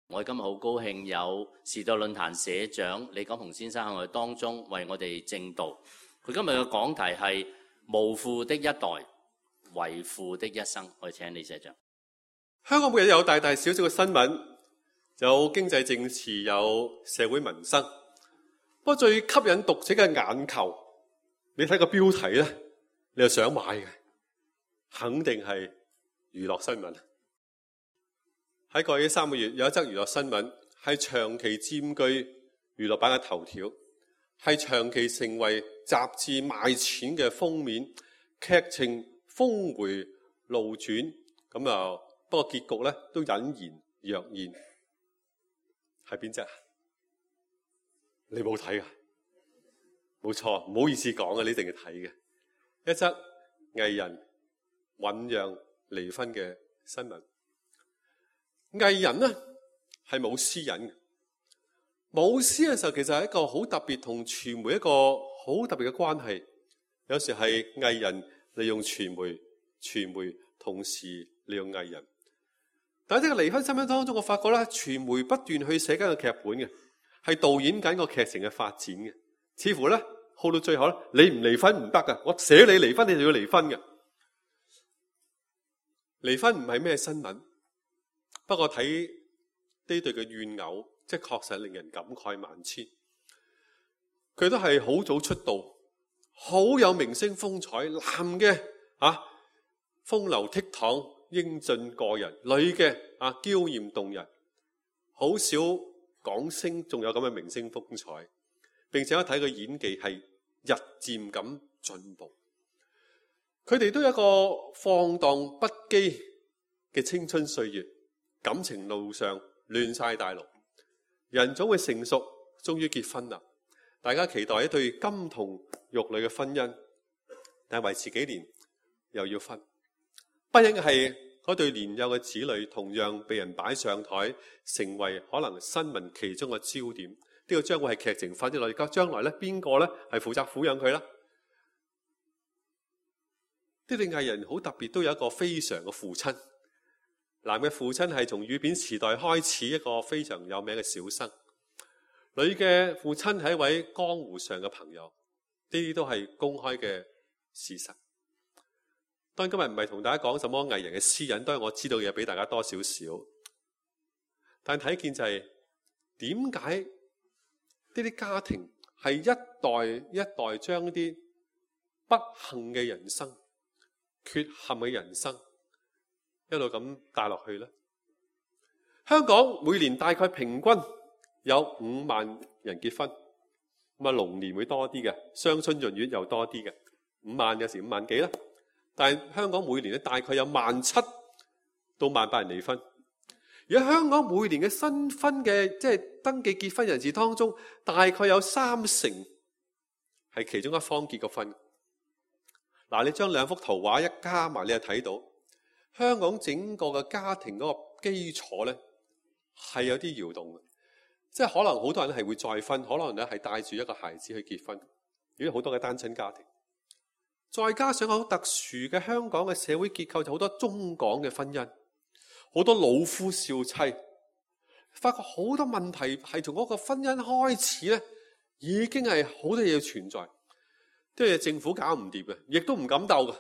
我哋今日好高興有時代論壇社長李錦鴻先生喺我哋當中為我哋證道。佢今日嘅講題係無父的一代，為父的一生。我哋請李社長。香港每日有大大小小嘅新聞，有經濟政治，有社會民生。不過最吸引讀者嘅眼球，你睇個標題咧，你就想買嘅，肯定係娛樂新聞。喺過去3個月，有一則娛樂新聞係長期佔據娛樂版嘅頭條，係長期成為雜誌賣錢嘅封面，劇情峰回路轉，咁啊，不過結局咧都隱然若現。係邊隻？你冇睇啊？冇錯，唔好意思講啊，你一定要睇嘅。一則藝人醞釀離婚嘅新聞。藝人呢係冇私隱嘅，冇私隱嘅時候，其實係一個好特別同傳媒一個好特別嘅關係。有時係藝人利用傳媒，傳媒同時利用藝人。但係呢個離婚新聞當中，我發覺咧，傳媒不斷去寫緊個劇本嘅，係導演緊個劇情嘅發展嘅。似乎咧，好到最後咧，你唔離婚唔得噶，我寫你離婚，你就要離婚嘅。離婚唔係咩新聞。不過睇呢對嘅怨偶，即係確實令人感慨萬千。佢都係好早出道，好有明星風采。男嘅風流倜儻、英俊過人；女嘅嬌豔動人。好少港星仲有咁嘅明星風采，並且我睇佢演技係日漸咁進步。佢哋都有一個放蕩不羈嘅青春歲月。感情路上亂晒大陸，人總會成熟，終於結婚啦。大家期待一對金童玉女嘅婚姻，但係維持幾年又要分。不幸係嗰對年幼嘅子女同樣被人擺上台，成為可能新聞其中嘅焦點。呢個將會係劇情發展落去，將來咧邊個咧係負責撫養佢啦？呢對藝人好特別，都有一個非常嘅父親。男嘅父親係從語片時代開始一個非常有名嘅小生，女嘅父親係一位江湖上嘅朋友，呢啲都係公開嘅事實。當然今日唔係同大家講什麼藝人嘅私隱，當然我知道嘅嘢俾大家多少少，但睇見就係點解呢啲家庭係一代一代將啲不幸嘅人生、缺陷嘅人生一路咁帶落去咧。香港每年大概平均有5萬人結婚，咁啊龍年會多啲嘅，雙春閏月又多啲嘅，5萬有時5萬幾啦。但係香港每年咧大概有17000到18000人離婚。而喺香港每年嘅新婚嘅即係登記結婚人士當中，大概有30%係其中一方結過婚。嗱，你將兩幅圖畫一加埋，你就睇到。香港整個嘅家庭嗰個基礎咧係有啲搖動嘅，即係可能好多人係會再婚，可能咧係帶住一個孩子去結婚，有好多嘅單親家庭。再加上好特殊嘅香港嘅社會結構，就好多中港嘅婚姻，好多老夫少妻，發覺好多問題係從嗰個婚姻開始咧，已經係好多嘢存在，啲嘢政府搞唔掂嘅，亦都唔敢鬥嘅。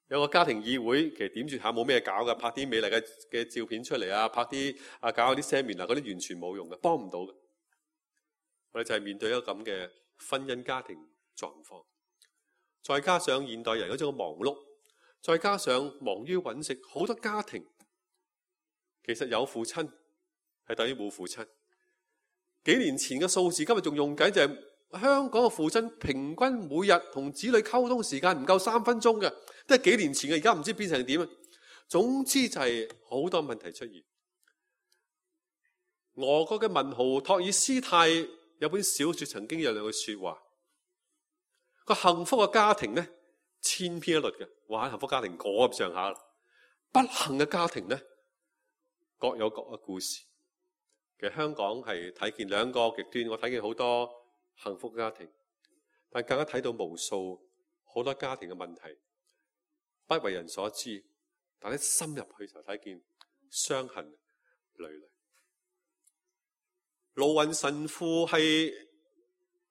有個家庭議會，其實點住下冇咩搞嘅，拍啲美麗嘅照片出嚟啊，拍啲搞下啲 seminar，嗰啲完全冇用嘅，幫唔到嘅。我哋就係面對一個咁嘅婚姻家庭狀況，再加上現代人嗰種忙碌，再加上忙於揾食，好多家庭其實有父親係等於冇父親。幾年前嘅數字，今日仲用緊就係香港嘅父親平均每日同子女溝通時間唔夠3分鐘嘅。都係幾年前嘅，而家唔知變成點啊！總之就係好多問題出現。俄國嘅文豪托爾斯泰有本小說曾經有兩句說話：個幸福嘅家庭咧千篇一律嘅，哇！幸福家庭嗰咁上下，不幸嘅家庭咧各有各嘅故事。其實香港係睇見兩個極端，我睇見好多幸福家庭，但更加睇到無數好多家庭嘅問題。不為人所知，但係深入去就睇見傷痕累累。盧雲神父係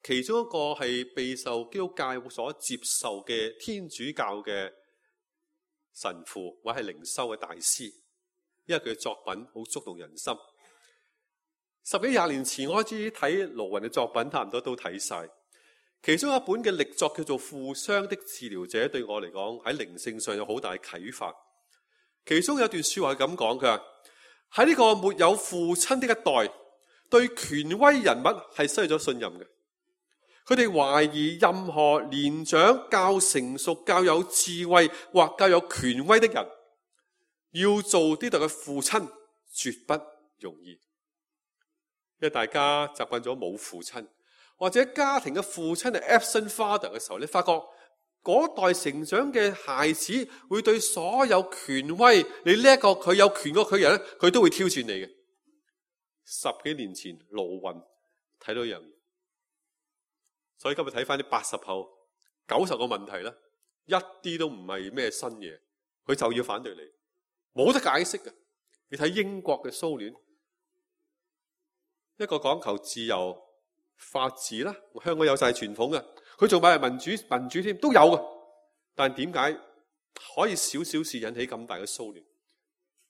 其中一個係備受基督教所接受嘅天主教嘅神父或係靈修嘅大師，因為佢嘅作品好觸動人心。十幾廿年前我開始睇盧雲嘅作品，差唔多都睇晒。其中一本嘅力作叫做《負傷的治療者》，對我嚟講喺靈性上有好大嘅啟發。其中有段說話係咁講，佢話喺呢個沒有父親的一代，對權威人物係失去咗信任嘅。佢哋懷疑任何年長、較成熟、較有智慧或較有權威的人要做呢度嘅父親，絕不容易。因為大家習慣咗冇父親，或者家庭嘅父親係 absent father 嘅時候，你發覺嗰代成長嘅孩子會對所有權威，你呢一個佢有權過佢人咧，佢都會挑戰你嘅。10幾年前盧雲睇到一樣嘢，所以今日睇翻啲80後90個問題咧，一啲都唔係咩新嘢，佢就要反對你，冇得解釋嘅。你睇英國嘅蘇聯，一個講求自由法治啦，香港有晒傳統嘅，佢仲話係民主添，都有嘅。但點解可以少少事引起咁大嘅騷亂？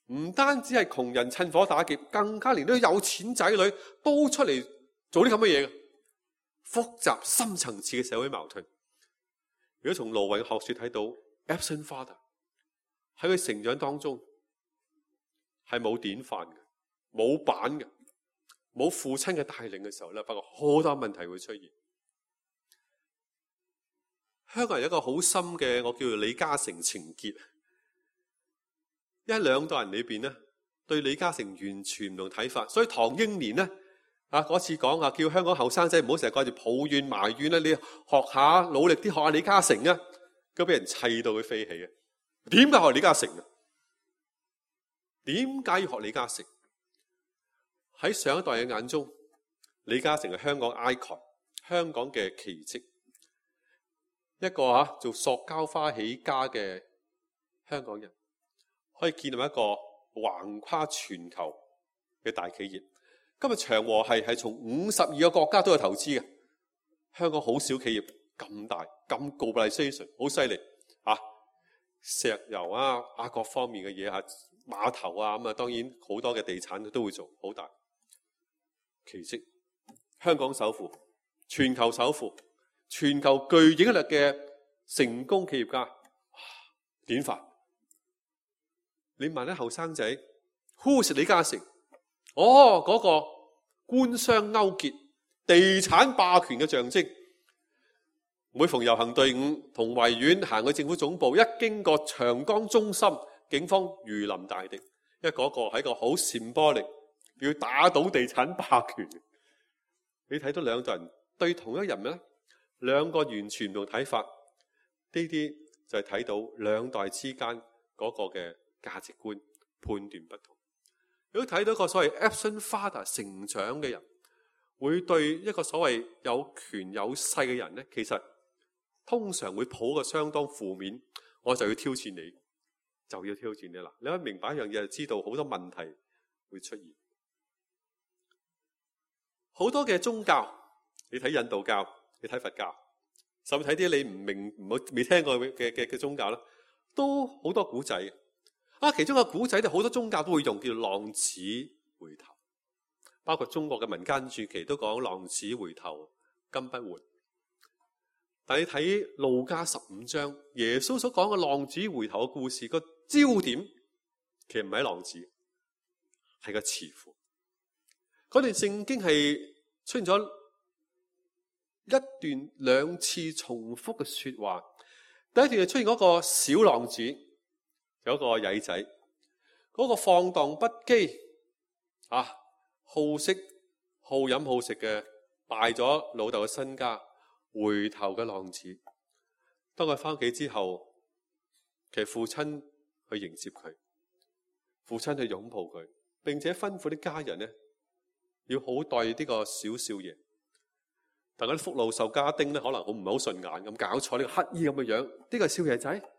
唔單止係窮人趁火打劫，更加連啲有錢仔女都出嚟做啲咁嘅嘢嘅，複雜深層次嘅社會矛盾。如果從盧雲嘅學說睇到 absent father 喺佢成長當中係冇典範嘅，冇版嘅，冇父親嘅帶領嘅時候咧，不過好多問題會出現。香港人有一個好深嘅，我叫做李嘉誠情結。一兩代人裏邊咧，對李嘉誠完全唔同睇法。所以唐英年咧嗰次講叫香港後生仔唔好成日掛住抱怨埋怨啦，你學下努力啲學下李嘉誠啊，咁俾人砌到佢飛起啊！點解學李嘉誠啊？點解要學李嘉誠？喺上一代嘅眼中，李嘉誠係香港 icon， 香港嘅奇蹟，一個做塑膠花起家嘅香港人，可以建立一個橫跨全球嘅大企業。今日長和係從52個國家都有投資嘅，香港好少企業咁大咁 globalization， 好犀利石油各方面嘅嘢碼頭咁當然好多嘅地產都會做好大奇蹟。香港首富，全球首富，全球具影響力嘅成功企業家，典範。你問啲後生仔 ，Who is 李嘉誠？嗰個官商勾結、地產霸權嘅象徵。每逢遊行隊伍同維園行去政府總部，一經過長江中心，警方如臨大敵。因為嗰個係一個好symbolic，要打倒地產霸權。你睇到兩代人對同一人咧，兩個完全唔同睇法，呢啲就係睇到兩代之間嗰個嘅價值觀判斷不同。如果睇到一個所謂 absent father 成長嘅人，會對一個所謂有權有勢嘅人咧，其實通常會抱個相當負面，我就要挑戰你，就要挑戰你啦。你可以明白一樣嘢，就知道好多問題會出現。好多嘅宗教，你睇印度教，你睇佛教，甚至睇啲你唔明、未聽過嘅宗教啦，都好多古仔。其中個古仔，好多宗教都會用，叫做浪子回頭。包括中國嘅民間傳奇都講浪子回頭金不換。但你睇路加15章，耶穌所講嘅浪子回頭嘅故事，個焦點其實唔係浪子，係個慈父。嗰段聖經係出現咗一段兩次重複嘅說話。第一段係出現嗰個小浪子，有一個曳仔，嗰個放蕩不羈好色好飲好食嘅，敗咗老豆嘅身家，回頭嘅浪子。當佢翻屋企之後，其實父親去迎接佢，父親去擁抱佢，並且吩咐啲家人咧要好待呢個小少爺。但嗰啲福祿壽家丁咧，可能唔係好順眼咁，搞錯呢個乞衣咁嘅樣，呢個少爺仔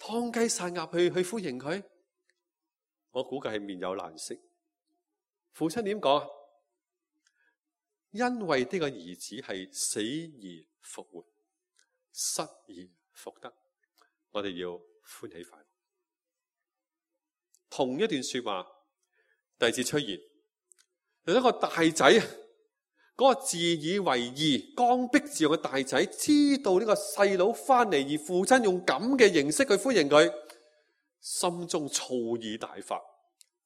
劏雞殺鴨去歡迎佢，我估計係面有難色。父親點講？因為呢個兒子係死而復活，失而復得，我哋要歡喜快樂。同一段說話，第二節出現，有一個大仔，嗰個自以為義、剛愎自用嘅大仔，知道呢個細佬翻嚟，而父親用咁嘅形式去歡迎佢，心中醋意大發，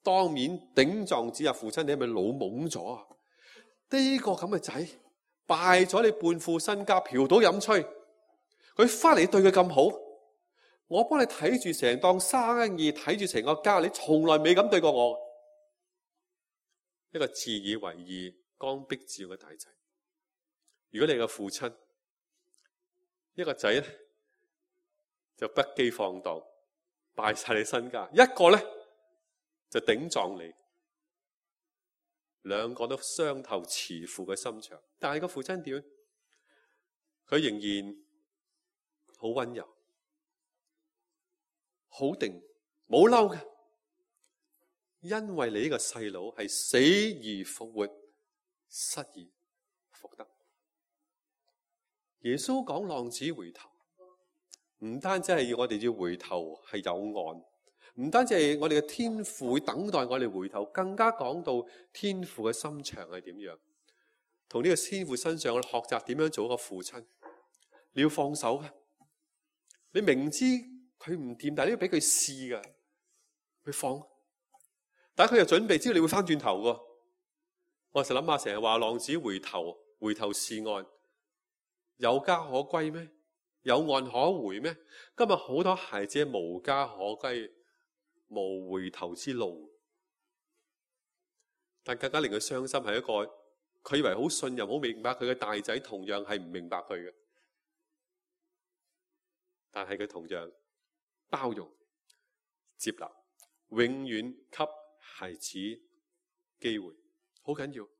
當面頂撞指責父親：你係咪老懵咗啊？呢個咁嘅仔敗咗你半副身家，嫖賭飲吹，佢翻嚟對佢咁好，我幫你睇住成檔生意，睇住成個家，你從來未咁對過我。一個自以為義、剛愎自用嘅大仔，如果你嘅父親，一個仔咧就不羈放蕩，敗晒你身家；一個咧就頂撞你，兩個都傷透慈父嘅心腸。但係個父親點？佢仍然好溫柔、好定，冇嬲嘅。因為你呢個細佬係死而復活，失而復得。耶穌講浪子回頭，唔單止係要我哋要回頭係有岸，唔單止係我哋嘅天父會等待我哋回頭，更加講到天父嘅心腸係點樣。同呢個天父身上，我哋學習點樣做一個父親。你要放手嘅，你明知佢唔掂，但係你要俾佢試㗎，佢放。但係佢又準備知道你會翻轉頭㗎。我成日諗下，成日話浪子回頭，回頭是岸，有家可歸咩？有岸可回咩？今日好多孩子無家可歸，無回頭之路。但更加令佢傷心係一個，佢以為好信任、好明白佢嘅大仔，同樣係唔明白佢嘅。但係佢同樣包容、接納，永遠給孩子機會，好緊要。呢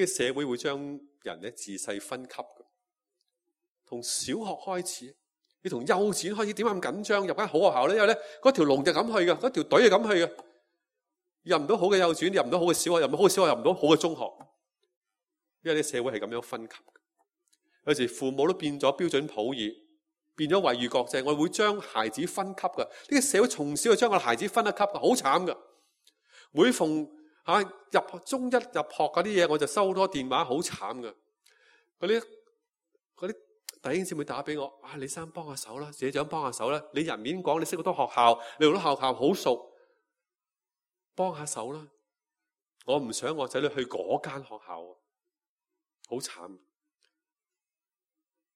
個社會會將人咧自細分級嘅，從小學開始，你從幼稚園開始，點解咁緊張？入間好學校咧，因為咧嗰條龍就咁去嘅，嗰條隊就咁去嘅。入唔到好嘅幼稚園，入唔到好嘅小學，入唔到好嘅小學，入唔到好嘅中學，因為啲社會係咁樣分級。有時父母都變咗標準普爾，變咗惠譽國際，我哋會將孩子分級嘅。呢個社會從小就將個孩子分一級嘅，好慘嘅。每逢入中一入學嗰啲嘢，我就收好多電話，好慘嘅。嗰啲弟兄姊妹打俾我，李生幫下手啦，社長幫下手啦。你人面講，你識好多學校，你好多學校好熟，幫下手啦。我唔想我仔女去嗰間學校，好慘。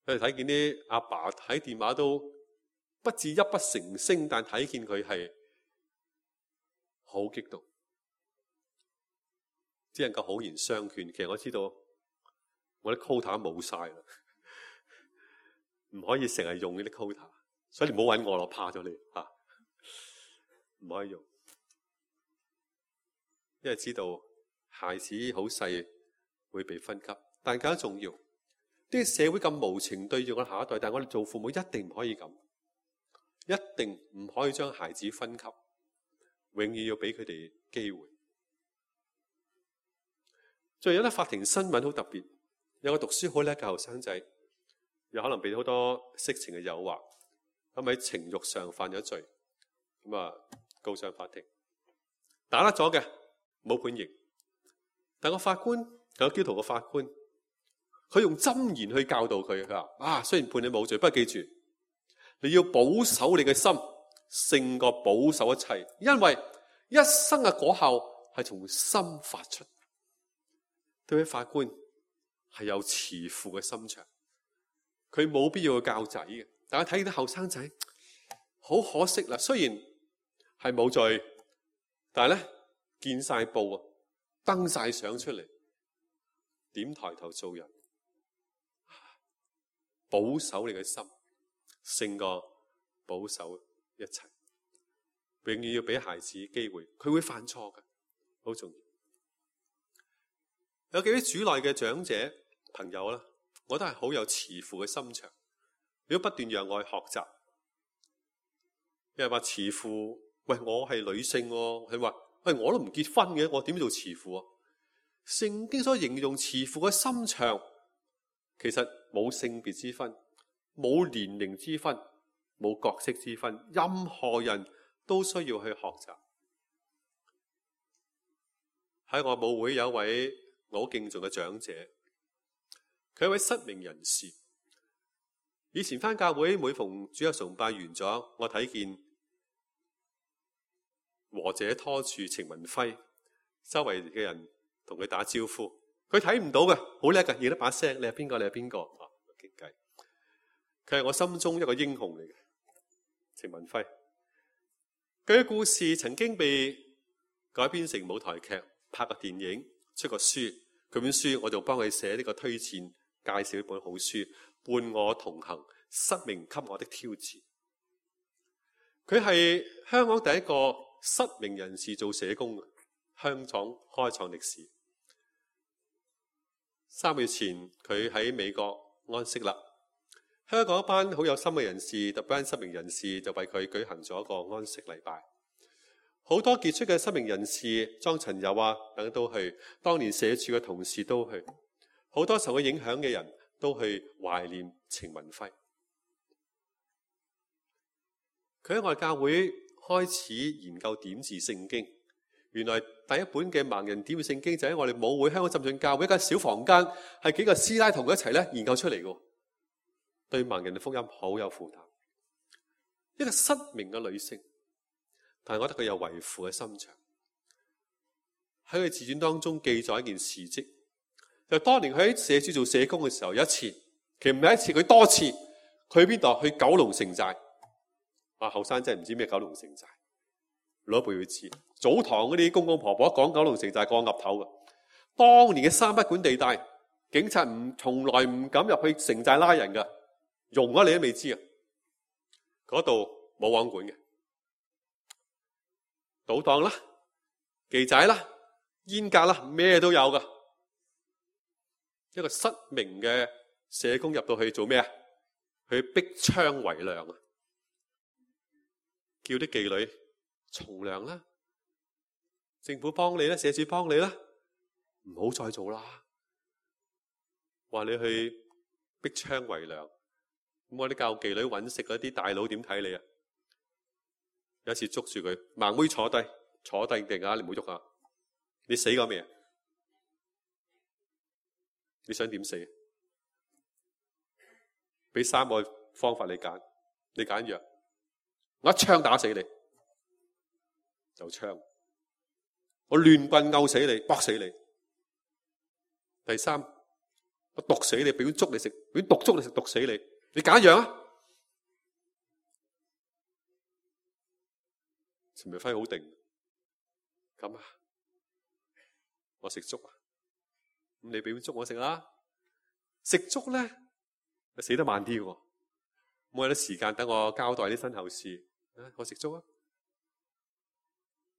佢哋睇見啲阿爸睇電話都不至泣不成聲，但睇見佢係好激動，只能夠好言相勸。其實我知道我啲 quota 冇晒啦，唔可以成日用呢啲 quota， 所以你唔好揾我咯，怕咗你吓，唔可以用，因為知道孩子好細會被分級，但更加重要。呢個社會咁無情對住我下一代，但係我哋做父母一定唔可以咁，一定唔可以將孩子分級，永遠要俾佢哋機會。最近有啲法庭新聞好特別，有個讀書好叻嘅後生仔，有可能被好多色情嘅誘惑，咁喺情慾上犯咗罪，咁告上法庭，打甩咗嘅，冇判刑，但個法官有基督徒嘅法官。佢用箴言去教導佢，佢話雖然判你冇罪，不過記住你要保守你嘅心，勝過保守一切，因為一生嘅果效係從心發出。對位法官係有慈父嘅心腸，佢冇必要去教仔嘅。大家睇見啲後生仔好可惜啦，雖然係冇罪，但係咧見晒報啊，登晒相出嚟，點抬頭做人？保守你嘅心，勝過保守一切。永遠要俾孩子機會，佢會犯錯嘅，好重要。有幾位主內嘅長者朋友啦，我都係好有慈父嘅心腸，如果不斷讓我去學習。有人話慈父，喂，我係女性喎，佢話喂，我都唔結婚嘅，我點做慈父啊？聖經所形容慈父嘅心腸，其實冇性別之分，冇年齡之分，冇角色之分，任何人都需要去學習。喺我母會有一位我好敬重嘅長者，佢係一位失明人士。以前返教會每逢主日崇拜完咗，我睇見和者拖住程文輝，周圍嘅人同佢打招呼，佢睇唔到嘅，好叻嘅，認得把聲，你係邊個？你係邊個？傾偈。佢係我心中一個英雄嚟嘅，程文輝。佢嘅故事曾經被改編成舞台劇，拍個電影，出個書。佢本書我就幫佢寫呢個推薦，介紹一本好書，伴我同行，失明給我的挑戰。佢係香港第一個失明人士做社工嘅，香港開創歷史。3個月前佢喺美國安息啦，香港一班好有心嘅人士，特別係失明人士就為佢舉行咗一個安息禮拜。好多傑出嘅失明人士，莊陳友啊等都去，當年社署嘅同事都去，好多受佢影響嘅人都去懷念程文輝。佢喺我哋教會開始研究點字聖經，原來第一本嘅盲人點字聖經就喺我哋母會香港浸信教會一間小房間，係幾個師奶同佢一齊研究出嚟嘅，對盲人嘅福音好有負擔。一個失明嘅女性，但係我覺得佢有為父嘅心腸。喺佢自傳當中記載一件事蹟，就當年佢喺社署做社工嘅時候，有一次，其實唔係一次，佢多次，佢去邊度？去九龍城寨。後生真係唔知咩九龍城寨，老一輩會知。早堂嗰啲公公婆婆一講九龍城寨，個岌頭嘅。當年嘅三不管地帶，警察從來唔敢入去城寨拉人㗎，容咗你都未知啊！嗰度冇網管嘅，賭檔啦、妓仔啦、煙格啦，咩都有㗎。一個失明嘅社工入到去做咩啊？去逼娼為娘啊！叫啲妓女從良啦，政府幫你啦，社署幫你啦，唔好再做啦。話你去逼娼為娘，咁我啲教妓女揾食嗰啲大佬點睇你啊？有一次捉住佢，盲妹坐低定啊，你唔好喐啊！你死過未啊？你想點死？俾3個方法你揀，你揀藥。我一槍打死你，就槍；我亂棍毆死你，剝死你。第3，我毒死你，俾碗粥你食，俾碗毒粥你食，毒死你。你揀一樣啊？陳明輝好定，咁啊，我食粥啊，咁你俾碗粥我食啦。食粥咧，死得慢啲喎，冇有啲時間等我交代啲身後事。我食粥啊！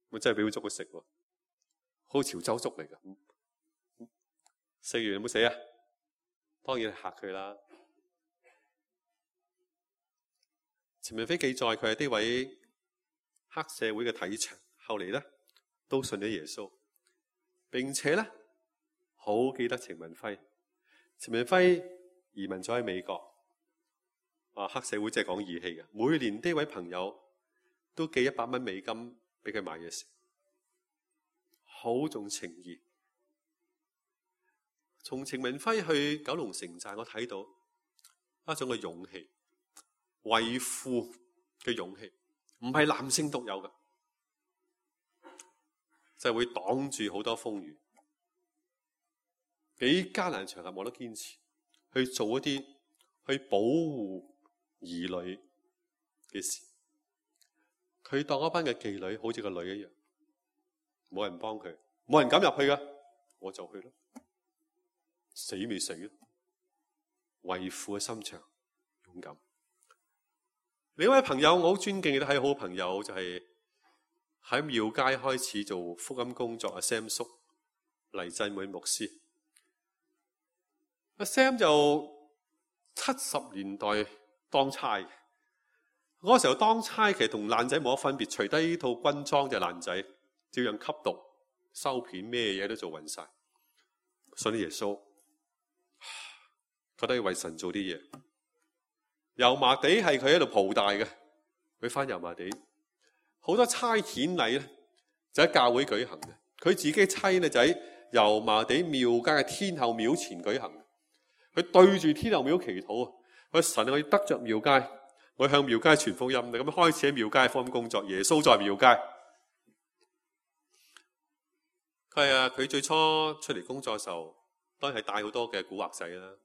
我真係俾碗粥佢食喎，好潮州粥嚟噶。食完有冇死啊？當然係嚇佢啦。陳明輝記載佢係呢位黑社會嘅體場，後嚟咧都信咗耶穌，並且咧好記得程文輝。程文輝移民咗喺美國。黑社會真係講義氣嘅，每年呢位朋友都寄100蚊美金俾佢買嘢食，好重情義。從程文輝去九龍城寨，我睇到一種嘅勇氣，為父嘅勇氣，唔係男性獨有嘅，就係會擋住好多風雨，幾艱難場合我都堅持去做一啲去保護兒女嘅事。佢當一班嘅妓女好似個女一樣，冇人幫佢，冇人敢入去噶，我就去咯，死未死咯，為父嘅心腸勇敢。另一位朋友我好尊敬，亦都係好朋友，就係喺廟街開始做福音工作阿 Sam 叔，黎振滿牧師。阿 Sam 就70年代當差嘅，嗰時候當差其實同爛仔冇乜分別，除低套軍裝就爛仔，照樣吸毒、收片，咩嘢都做勻晒。信耶穌，覺得要為神做啲嘢。油麻地係佢喺度蒲大嘅，佢返油麻地好多差遣禮咧，就喺教會舉行嘅。佢自己差咧就喺油麻地廟街嘅天后廟前舉行。佢對住天后廟祈禱啊！我神，我要得着廟街，我向廟街傳福音。咁樣開始喺廟街福音工作。耶穌在廟街。佢最初出嚟工作嘅時候，當然係帶好多嘅古惑仔啦。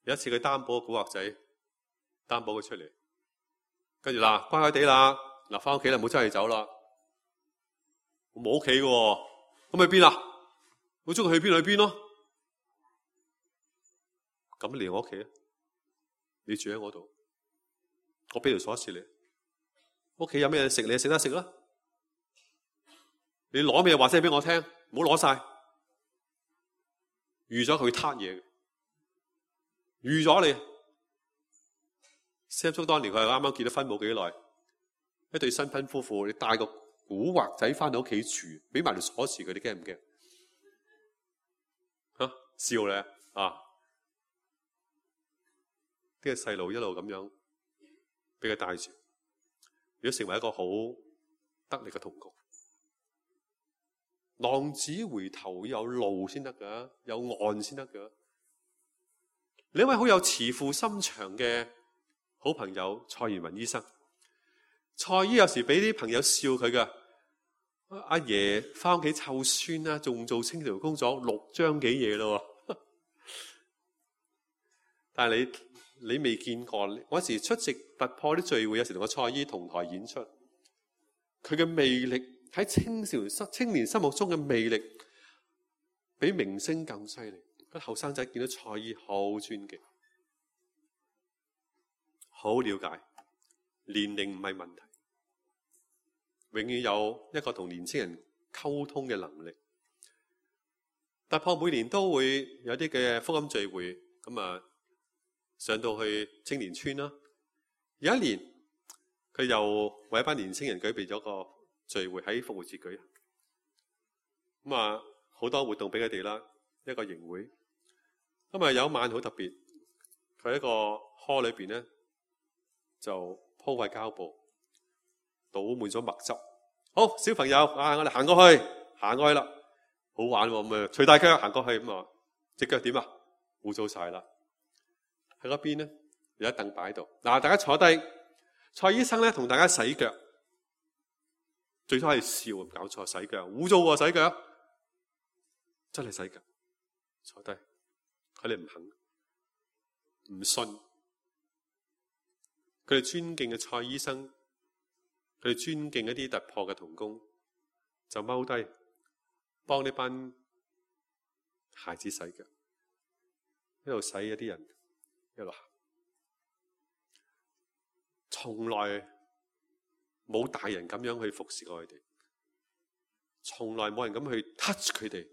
有一次佢擔保個古惑仔，擔保佢出嚟，跟住嗱乖乖地啦，嗱翻屋企啦，唔好出去走啦。我冇屋企嘅，咁去邊啊？我中意去邊去邊咯。咁嚟我屋企啊！你住喺我度，我俾條鎖匙你。屋企有咩食，你食得食啦。你攞咩話聲俾我聽，唔好攞晒。預咗佢撻嘢，預咗你。Sam 叔當年佢係啱啱結咗婚冇幾耐，一對新婚夫婦，你帶個古惑仔翻到屋企住，俾埋條鎖匙佢，你驚唔驚？笑咧啊！呢個細路一路咁樣俾佢帶住，如果成為一個好得力嘅同工。浪子回頭有路先得噶，有岸先得噶。你一位好有慈父心腸嘅好朋友蔡元雲醫生，蔡醫有時俾啲朋友笑佢噶，阿爺翻屋企湊孫啦，仲做清朝工作6張幾嘢咯。但係你未見過，我有時出席突破啲聚會，有時同個蔡醫同台演出，佢嘅魅力喺青年心目中嘅魅力，比明星更犀利。啲後生仔見到蔡醫好尊敬，好了解，年齡唔係問題，永遠有一個同年青人溝通嘅能力。突破每年都會有啲嘅福音聚會，咁啊上到去青年村啦。有一年佢又為一班年青人舉備咗個聚會喺復活節舉行，咁啊好多活動俾佢哋啦，一個營會。咁啊有一晚好特別，佢喺個 hall 裏邊咧就鋪塊膠布，倒滿咗墨汁。好，小朋友啊，我哋行過去啦，好玩喎，咁啊除大腳行過去，咁啊隻腳點啊？污糟晒啦。喺嗰邊咧有一凳擺喺度，嗱大家坐低，蔡醫生咧同大家洗腳。最初係笑，唔搞錯，洗腳污糟喎，洗腳真係洗腳。坐低，佢哋唔肯，唔信。佢哋尊敬嘅蔡醫生，佢哋尊敬一啲突破嘅同工，就踎低幫呢班孩子洗腳，一路洗一啲人，一路行，從來冇大人咁樣去服侍過佢哋，從來冇人咁去 touch 佢哋，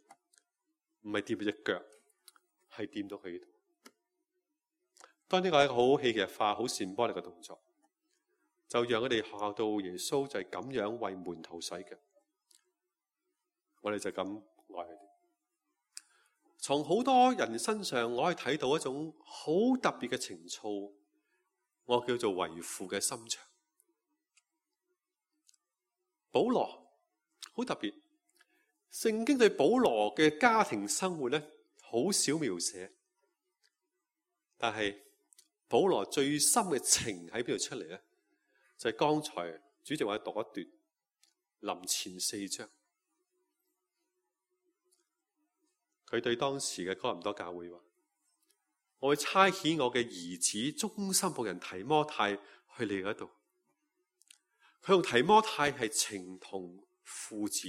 唔係掂佢隻腳，係掂到佢。當呢個係一個好戲劇化、好symbolic波力嘅動作，就讓佢哋學校到耶穌就係咁樣為門徒洗腳，我哋就咁愛佢哋。從好多人身上，我可以睇到一種好特別嘅情操，我叫做為父嘅心腸。保羅好特別，聖經對保羅嘅家庭生活咧好少描寫，但係保羅最深嘅情喺邊度出嚟咧？就係剛才主席話讀一段林前4章，佢對當時嘅哥林多教會話：我會差遣我嘅兒子忠心僕人提摩太去你嗰度。佢同提摩太係情同父子，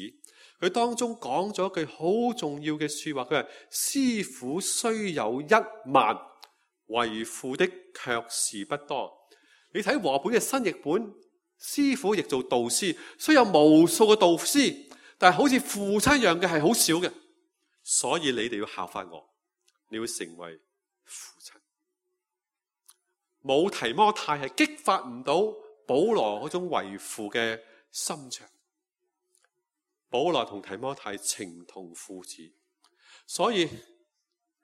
佢當中講咗一句好重要嘅說話，佢話：師傅雖有10000，為父的卻是不多。你睇和本嘅新譯本，師傅譯做導師，雖有無數嘅導師，但係好似父親一樣嘅係好少嘅。所以你哋要效法我，你要成為父親。冇提摩太係激發唔到保羅嗰種為父嘅心腸。保羅同提摩太情同父子，所以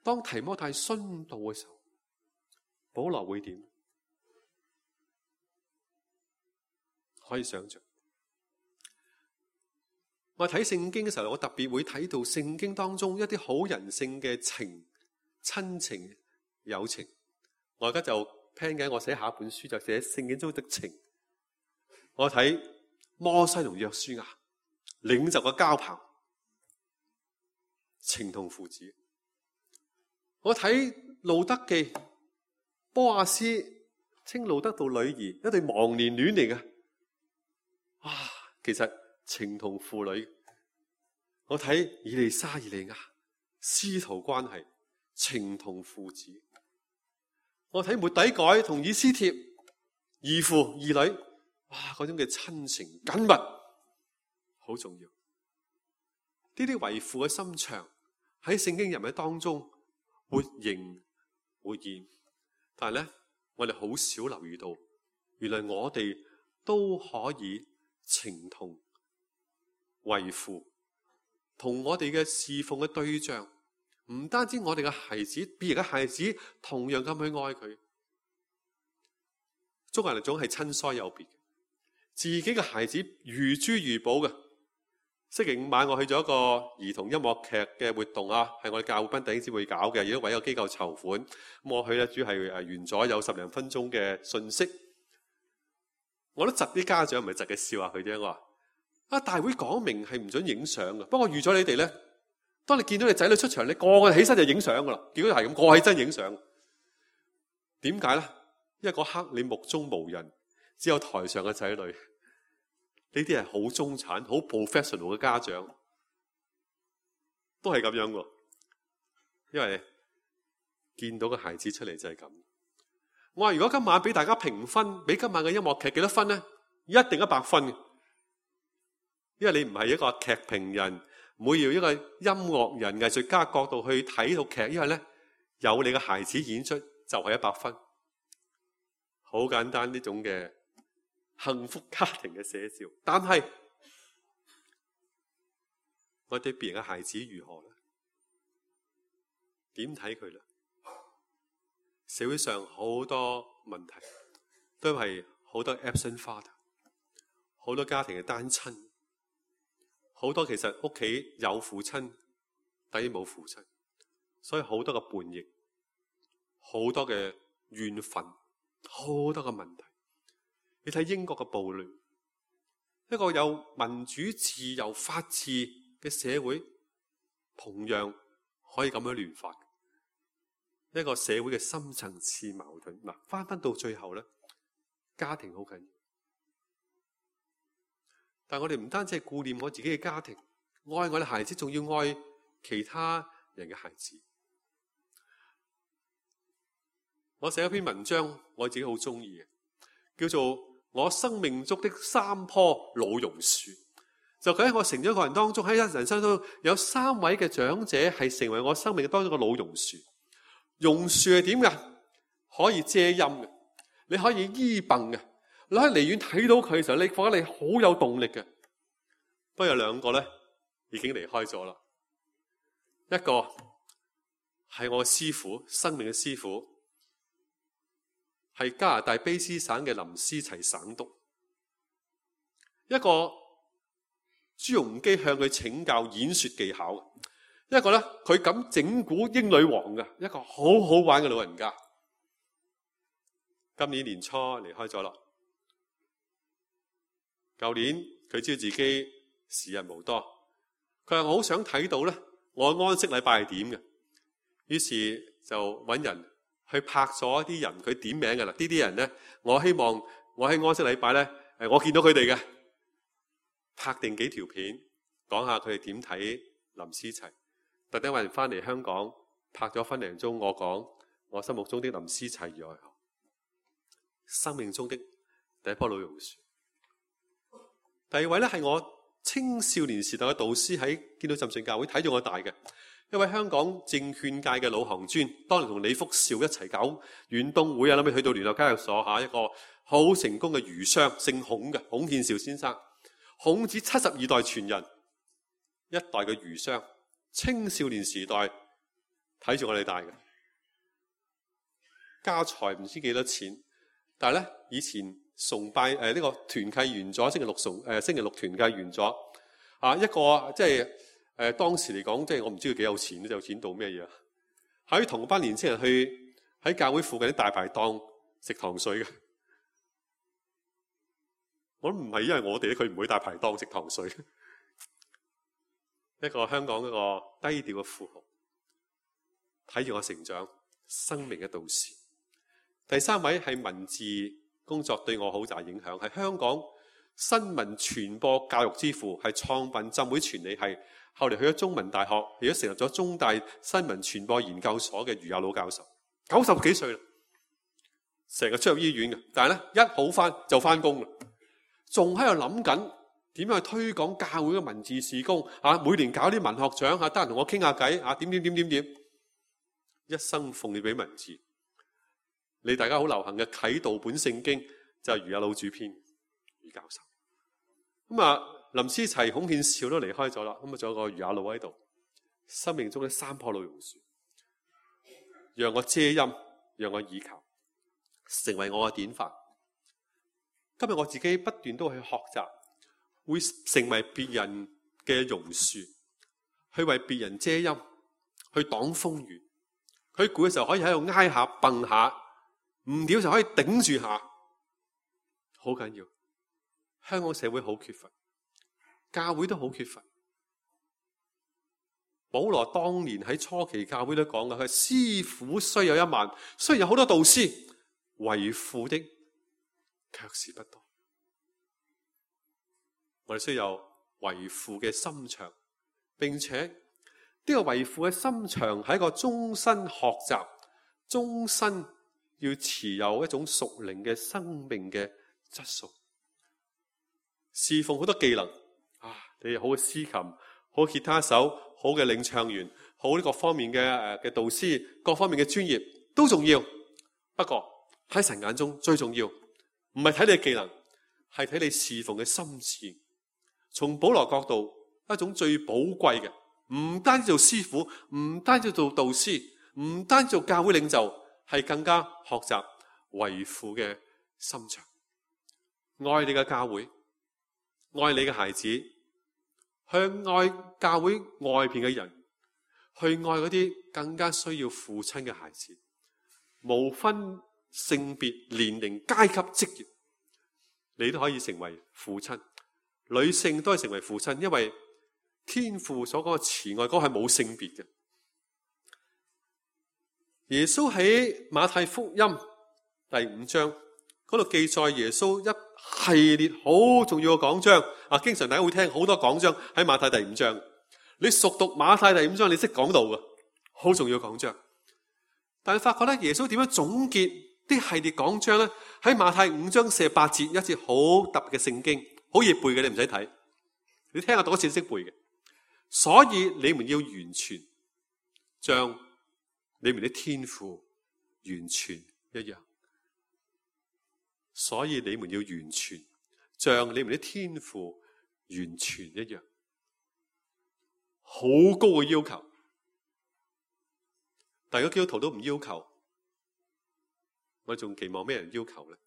當提摩太殉道嘅時候，保羅會點？可以想象。我睇聖經嘅時候，我特別會睇到聖經當中一啲好人性嘅情、親情、友情。我而家就聽緊，我寫下一本書就寫聖經中的情。我睇摩西同約書亞領袖嘅交朋，情同父子。我睇路德記，波阿斯稱路德做女兒，一對忘年戀嚟嘅。其實情同父女。我睇以利沙、以利亞師徒關係，情同父子。我睇末底改同以斯帖義父義女，嗰種嘅親情緊密，好重要。呢啲為父嘅心腸喺聖經人物當中活形活現，但係咧，我哋好少留意到，原來我哋都可以情同為父，同我哋嘅侍奉嘅對象，唔單止我哋嘅孩子，別人嘅孩子同樣咁去愛佢。中國人總係親疏有別，自己嘅孩子如珠如寶嘅。星期五晚我去咗一個兒童音樂劇嘅活動啊，係我哋教會賓弟兄姊妹搞嘅，亦都為一個機構籌款。咁我去咧，主要係完咗有10零分鐘嘅信息。我都窒啲家長，唔係窒嘅笑下佢啫。我話大會講明係唔准影相嘅，不過預咗你哋咧，當你見到你仔女出場，你個個起身就影相噶啦。結果係咁，個個起身影相。點解咧？因為嗰刻你目中無人，只有台上嘅仔女。呢啲係好中產、好 professional 嘅家長，都係咁樣喎。因為見到個孩子出嚟就係咁。我話如果今晚俾大家評分，俾今晚嘅音樂劇幾多分咧？一定100分嘅。因為你唔係一個劇評人，唔會要一個音樂人、藝術家角度去睇套劇，因為咧有你嘅孩子演出就係100分。好簡單呢種嘅幸福家庭嘅寫照，但係我對別人嘅孩子如何咧？點睇佢咧？社會上好多問題，都係好多 absent father， 好多家庭嘅單親，好多其實屋企有父親，但係冇父親，所以好多嘅叛逆，好多嘅怨憤，好多嘅問題。你睇英國嘅暴亂，一個有民主、自由、法治嘅社會，同樣可以咁樣亂發。一個社會嘅深層次矛盾，翻到最後咧，家庭好緊要。但係我哋唔單止係顧念我自己嘅家庭，愛我哋孩子，仲要愛其他人嘅孩子。我寫一篇文章，我自己好中意嘅，叫做《我生命中的3棵老榕樹》。就喺我成長過程當中，喺人生中有3位嘅長者係成為我生命當中嘅老榕樹。榕樹係點㗎？可以遮陰嘅，你可以依傍嘅，你可以離遠睇到佢嘅時候，你覺得你好有動力嘅。不過有2個咧已經離開咗啦。一個係我嘅師傅，生命嘅師傅，係加拿大卑詩省嘅林思齊省督。一個朱鎔基向佢請教演說技巧。一個咧，佢敢整蠱英女王嘅，一個好好玩嘅老人家。今年年初離開咗啦。舊年佢知道自己時日無多，佢話我好想睇到咧，我安息禮拜係點嘅。於是就揾人去拍咗一啲人，佢點名㗎啦。呢啲人咧，我希望我喺安息禮拜咧，我見到佢哋嘅，拍定幾條片，講下佢哋點睇林思齊。特登揾人翻嚟香港拍咗分零鐘，我講我心目中的林思齊如何，生命中的第一棵老榕樹。第二位咧係我青少年時代嘅導師，喺建道浸信教會睇住我大嘅一位香港證券界嘅老行尊，當年同李福兆一齊搞遠東會啊，諗住去到聯合交易所一個好成功嘅魚商，姓孔嘅孔憲兆先生，孔子72代傳人，一代嘅魚商。青少年時代睇住我哋大嘅，家財唔知幾多錢，但係咧以前崇拜呢個團契完咗，星期六團契完咗一個即係當時嚟講，即係我唔知佢幾有錢，有錢到咩嘢啊？喺同班年青人去喺教會附近啲大排檔食糖水嘅。我唔係因為我哋佢唔會大排檔食糖水。一個香港一個低調嘅富豪，睇住我成長，生命嘅導師。第三位係文字工作對我好大影響，係香港新聞傳播教育之父，係創辦浸會傳理系，後嚟去咗中文大學，亦都成立咗中大新聞傳播研究所嘅余亞魯教授，90幾歲啦，成日出入醫院嘅，但係咧一好翻就翻工啦，仲喺度諗緊點樣去推廣教會嘅文字事工每年搞啲文學獎得閒同我傾下偈點，一生奉獻俾文字。你大家好流行嘅啟導本聖經就係余亞魯主編余教授。林思齊、孔憲兆都離開咗啦，仲有個余亞魯喺度。生命中嘅3棵老榕樹，讓我遮陰，讓我倚靠，成為我嘅典範。今日我自己不斷都去學習，會成為別人嘅榕樹，去為別人遮陰，去擋風雨。佢攰嘅時候可以喺度挨下蹦下，唔掂就可以頂住下，好緊要。香港社會好缺乏，教會都好缺乏。保羅當年喺初期教會都講嘅，佢師傅雖有1萬，雖然有好多導師，為父的卻是不多。我哋需要有為父嘅心腸，並且呢個為父嘅心腸係一個終身學習，終身要持有一種屬靈嘅生命嘅質素。侍奉好多技能你好嘅司琴，好吉他手，好嘅領唱員，好呢各方面嘅導師，各方面嘅專業都重要。不過喺神眼中最重要，唔係睇你嘅技能，係睇你侍奉嘅心志。從保羅角度，一種最寶貴嘅，唔單止做師傅，唔單止做導師，唔單止做教會領袖，係更加學習為父嘅心腸，愛你嘅教會，愛你嘅孩子，去愛教會外邊嘅人，去愛嗰啲更加需要父親嘅孩子，無分性別、年齡、階級、職業，你都可以成為父親。女性都係成為父親，因為天父所講嘅慈愛嗰係冇性別嘅。耶穌喺馬太福音第5章嗰度記載耶穌一系列好重要嘅講章經常大家會聽好多講章喺馬太第5章。你熟讀馬太第5章，你識講道嘅，好重要嘅講章。但係發覺咧，耶穌點樣總結啲系列講章咧？喺馬太5章48節，一節好特別嘅聖經。好易背嘅，你唔使睇，你聽下讀一次識背嘅。所以你們要完全，像你們的天父完全一樣。所以你們要完全，像你們的天父完全一樣。好高嘅要求，但如果基督徒都唔要求，我哋仲期望咩人要求呢？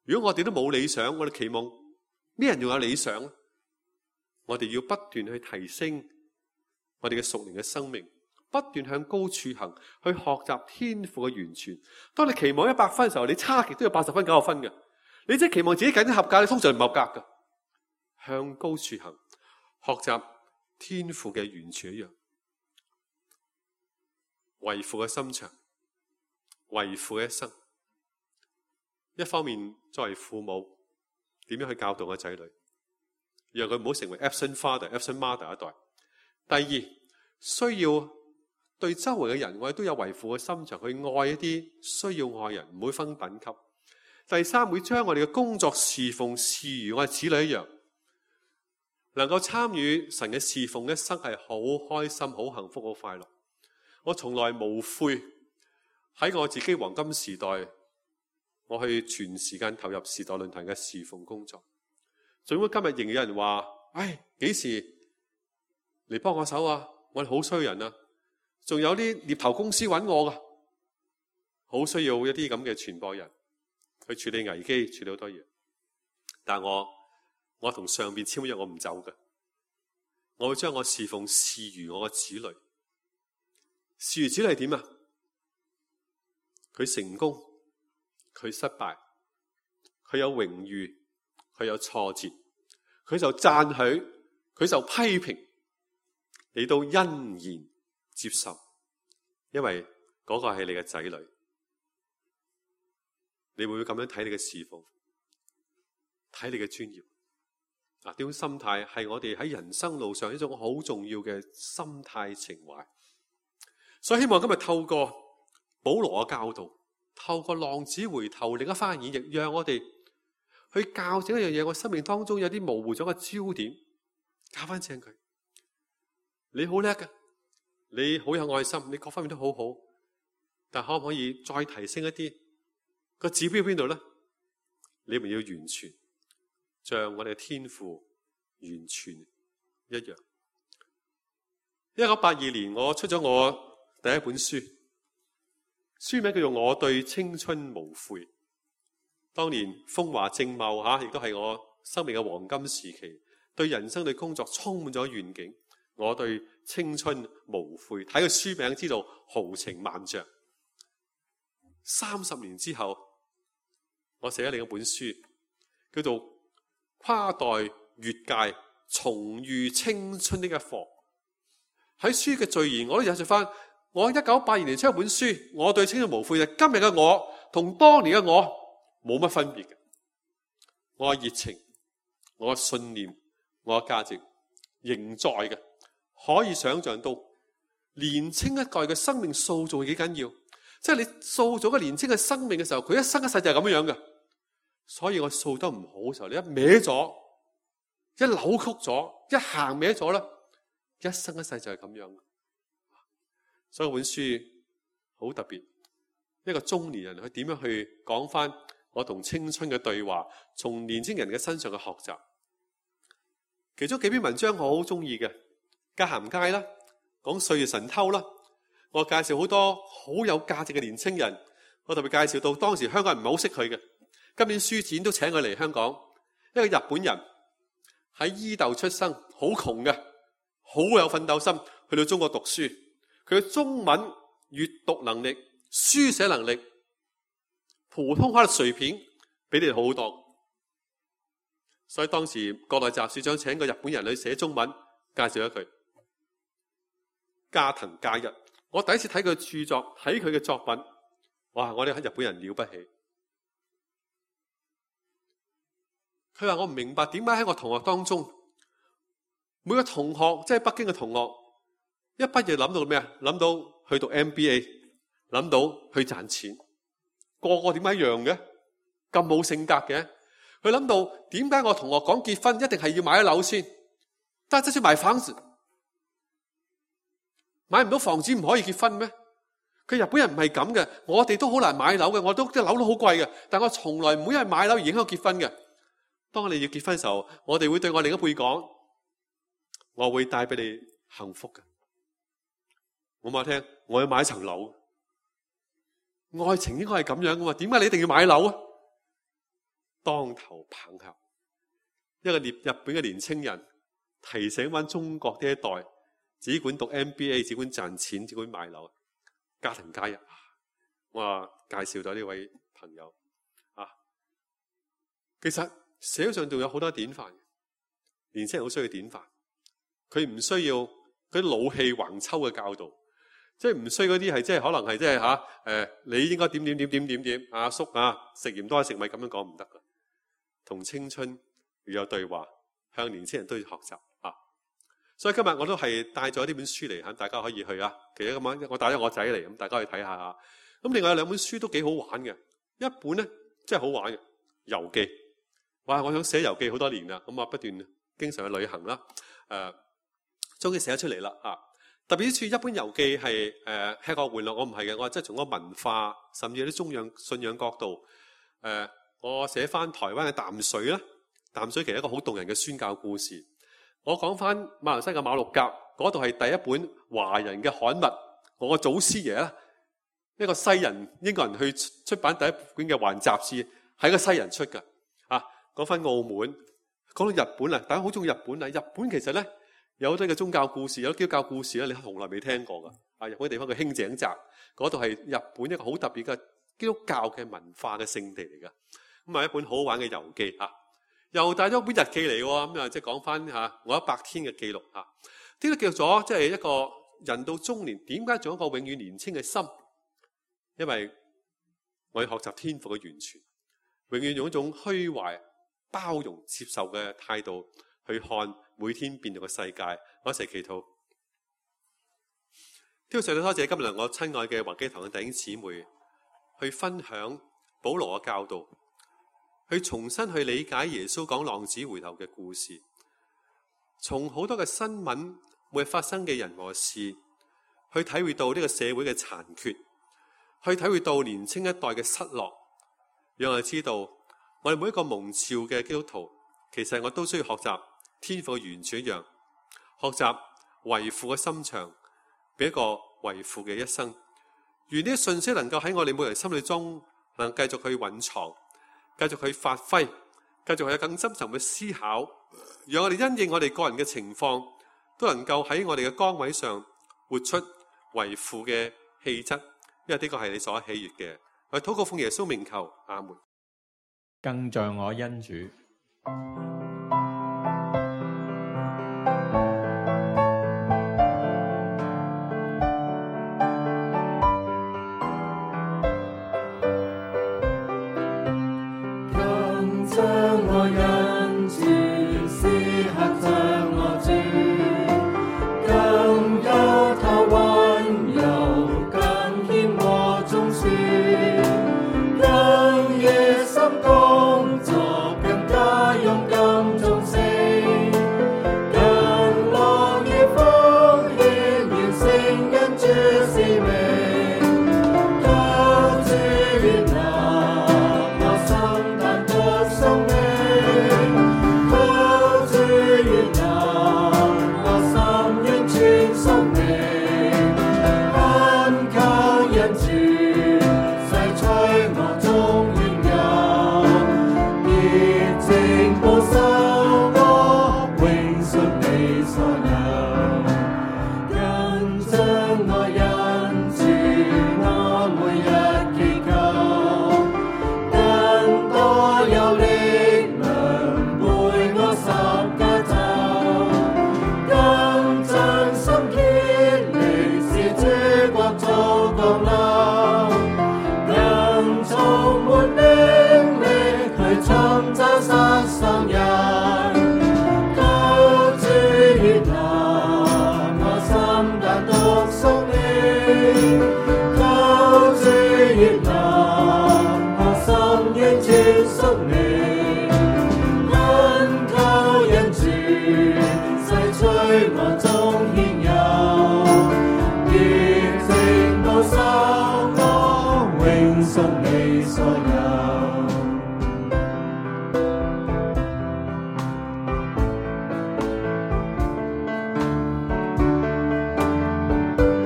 如果我哋都冇理想，我哋期望咩人仲有理想？我哋要不斷去提升我哋嘅屬靈嘅生命，不斷向高處行，去學習天父嘅完全。當你期望100分嘅時候，你差極都有80分、90分嘅。你即係期望自己緊啲合格，你通常唔合格嘅。向高處行，學習天父嘅完全一樣，為父嘅心腸，為父嘅一生。一方面作為父母，點樣去教導個仔女，讓佢唔好成為 absent father、absent mother 一代。第二，需要對周圍嘅人，我哋都有為父嘅心腸，去愛一啲需要愛人，唔會分等級。第三，會將我哋嘅工作侍奉視如我哋子女一樣，能夠參與神嘅侍奉一生係好開心、好幸福、好快樂。我從來無悔喺我自己黃金時代，我去全時間投入時代論壇嘅侍奉工作。儘管今日仍有人話：幾時嚟幫我手啊？我哋好需要人啊，仲有啲獵頭公司揾我噶，好需要一啲咁嘅傳播人去處理危機，處理好多嘢。但我同上邊簽約，我唔走嘅，我會將我侍奉視如我嘅子女。視如子女係點啊？佢成功，佢失敗，佢有榮譽，佢有挫折，佢就讚許，佢就批評，你都欣然接受，因為嗰個係你嘅仔女。你會唔會咁樣睇你嘅侍奉，睇你嘅專業？呢種心態係我哋喺人生路上一種好重要嘅心態情懷。所以希望今日透過保羅嘅教導，透過浪子回頭另一番演繹，讓我哋去校正一樣嘢。我生命當中有啲模糊咗嘅焦點，校翻正佢。你好叻嘅，你好有愛心，你各方面都好好，但可唔可以再提升一啲？個指標邊度咧？你們要完全，像我哋嘅天父完全一樣。1982年我出咗我第一本書，書名叫做《我對青春無悔》。當年風華正茂亦都係我生命嘅黃金時期，對人生對工作充滿咗願景。我對青春無悔，睇個書名知道豪情萬丈。30年之後，我寫咗另一本書，叫做《跨代越界重遇青春的一課》。喺書嘅序言，我都引述翻我1982年出一本書，我對青春無悔，就今日嘅我同當年嘅我冇乜分別嘅。我嘅熱情，我嘅信念，我嘅價值仍在嘅。可以想象到年青一代嘅生命塑造幾緊要，即係你塑造個年青嘅生命嘅時候，佢一生一世就係咁樣嘅。所以我塑得唔好嘅時候，你一歪咗，一扭曲咗，一行歪咗啦，一生一世就係咁樣。所以本書好特別，一個中年人佢點樣去講翻我同青春嘅對話，從年青人嘅身上嘅學習。其中幾篇文章我好中意嘅，界限街啦，講歲月神偷啦，我介紹好多好有價值嘅年青人，我特別介紹到當時香港人唔係好識佢嘅，今年書展都請佢嚟香港。一個日本人喺伊豆出生，好窮嘅，好有奮鬥心，去到中國讀書，佢嘅中文閱讀能力、書寫能力、普通話嘅水平比你哋好好多。所以當時國內雜誌長請個日本人去寫中文，介紹咗佢。加藤加一，我第一次睇佢著作，睇佢嘅作品，哇！我哋喺日本人了不起。佢話我唔明白點解喺我同學當中，每個同學即係北京嘅同學，一畢業諗到咩啊？諗到去讀 MBA， 諗到去賺錢，個個點解一樣嘅？咁冇性格嘅？佢諗到點解我同學講結婚一定係要買一樓先？但係即使買房子，買唔到房子唔可以結婚咩？佢日本人唔係咁嘅，我哋都好難買樓嘅，我都啲樓都好貴嘅，但我從來唔會因為買樓而影響結婚嘅。當我哋要結婚嘅時候，我哋會對我另一輩講，我會帶俾你幸福嘅。我話聽，我要買一層樓，愛情應該係咁樣噶嘛？點解你一定要買樓啊？當頭棒喝，一個日本嘅年青人提醒翻中國呢一代，只管讀 MBA， 只管賺錢，只管買樓。家庭加一，我話介紹咗呢位朋友啊。其實社會上仲有好多典範，年青人好需要典範。佢唔需要嗰啲老氣橫秋嘅教導，即係唔需要嗰啲係即係可能係即係你應該點阿叔食鹽多食米咁樣講唔得噶。同青春要有對話，向年青人都要學習啊！所以今日我都係帶咗呢本書嚟，大家可以去啊。其實咁樣，我帶咗我仔嚟，咁大家去睇下啊。咁另外有兩本書都幾好玩嘅，一本咧真係好玩嘅遊記。哇！我想寫遊記好多年啦，咁啊不斷經常去旅行啦，終於寫咗出嚟啦啊！特別之處，一本遊記係吃喝玩樂，我唔係嘅，我係即係從個文化，甚至有啲宗教信仰角度，我寫翻台灣嘅淡水啦，淡水其實一個好動人嘅宣教故事。我講翻馬來西亞馬六甲嗰度係第一本華人嘅刊物。我個祖師爺啦，一個西人英國人去出版第一本嘅華人雜誌，係個西人出㗎。講翻澳門，講到日本啦，大家好中意日本啊！日本其實咧有好多嘅宗教故事，有基督教故事咧，你從來未聽過㗎。日本嘅地方叫輕井澤，嗰度係日本一個好特別嘅基督教嘅文化嘅聖地嚟㗎。咁係一本好好玩嘅遊記嚇，又帶咗本日記嚟喎。咁啊，即係講翻我100天嘅記錄嚇。呢個叫咗即係一個人到中年，點解仲有一個永遠年輕嘅心？因為我要學習天父嘅完全，永遠用一種虛懷、包容、接受嘅態度去看每天變動嘅世界。我一齊祈禱。天父上帝，多謝今日我親愛嘅華基堂嘅弟兄姊妹去分享保羅嘅教導，去重新去理解耶穌講浪子回頭嘅故事，從好多嘅新聞每日發生嘅人和事，去體會到呢個社會嘅殘缺，去體會到年青一代嘅失落，讓我哋知道我哋每一個蒙召嘅基督徒，其實我都需要學習天父嘅完全一樣，學習為父嘅心腸，俾一個為父嘅一生。願呢啲信息能夠喺我哋每人心裏中，能繼續去蘊藏，繼續去發揮，繼續去有更深層嘅思考，讓我哋因應我哋個人嘅情況，都能夠喺我哋嘅崗位上活出為父嘅氣質，因為呢個係你所喜悅嘅。我禱告奉耶穌名求，阿門。更像我恩主。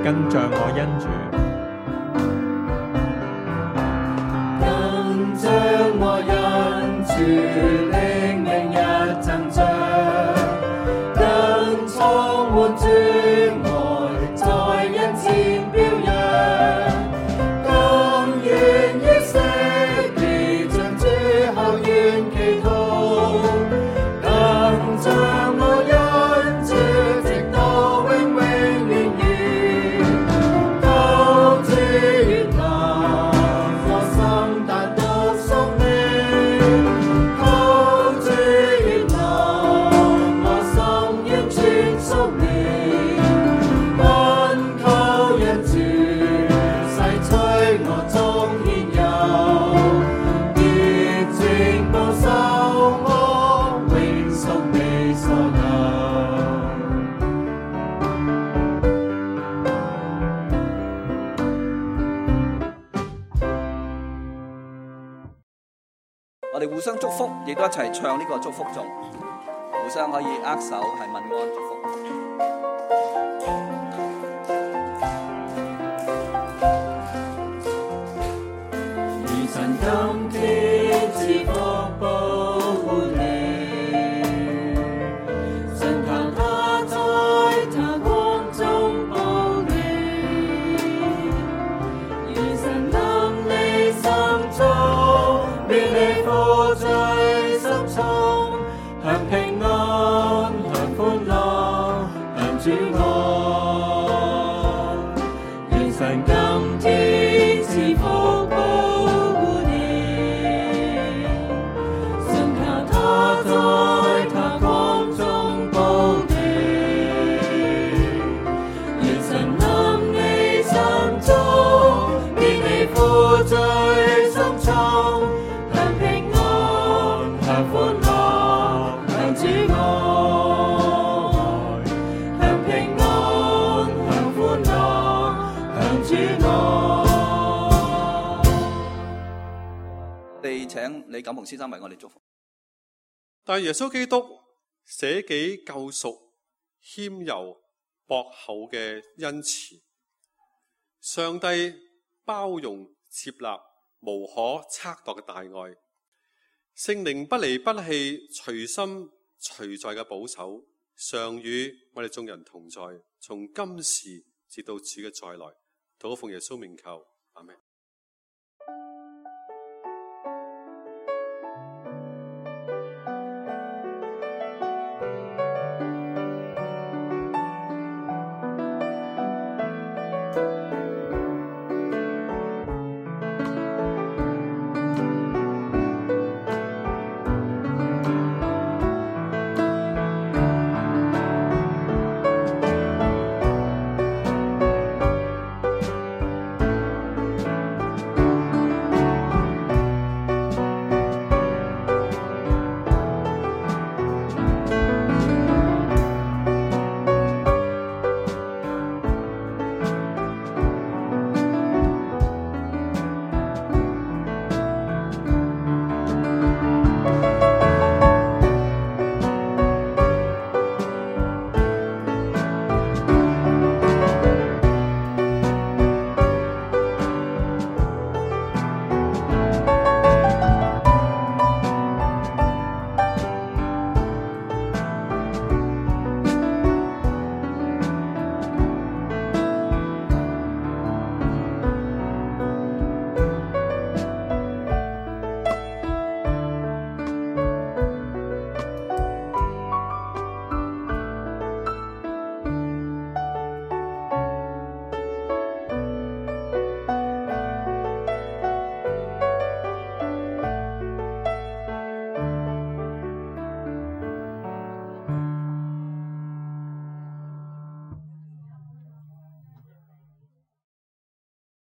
更像我恩主。更像我恩主，靈命日增長，更充滿主愛，在人前表揚，更願意惜別，將主後願祈禱，更像我恩主，直到永永遠遠。求主悅納我心，但獨屬你。求主悅納我心，完全屬你。懇求恩主，洗除我中獻有，潔淨保守我，永屬你所有。我哋互相祝福，亦都一齊唱呢個祝福頌，互相可以握手係問安祝福。主我，願神今天賜福保護你，信靠他在他光中保你，願神臨你心中，免你負罪深重，享平安，享歡樂，享主愛，享平安，享歡樂，享主愛。我哋請李錦鴻先生為我哋祝福。但耶穌基督捨己救贖，謙柔博厚嘅恩慈，上帝包容接納無可測度嘅大愛，聖靈不離不棄隨心隨在嘅保守，常與我哋眾人同在，從今時直到主嘅再來。禱告奉耶穌名求，阿們。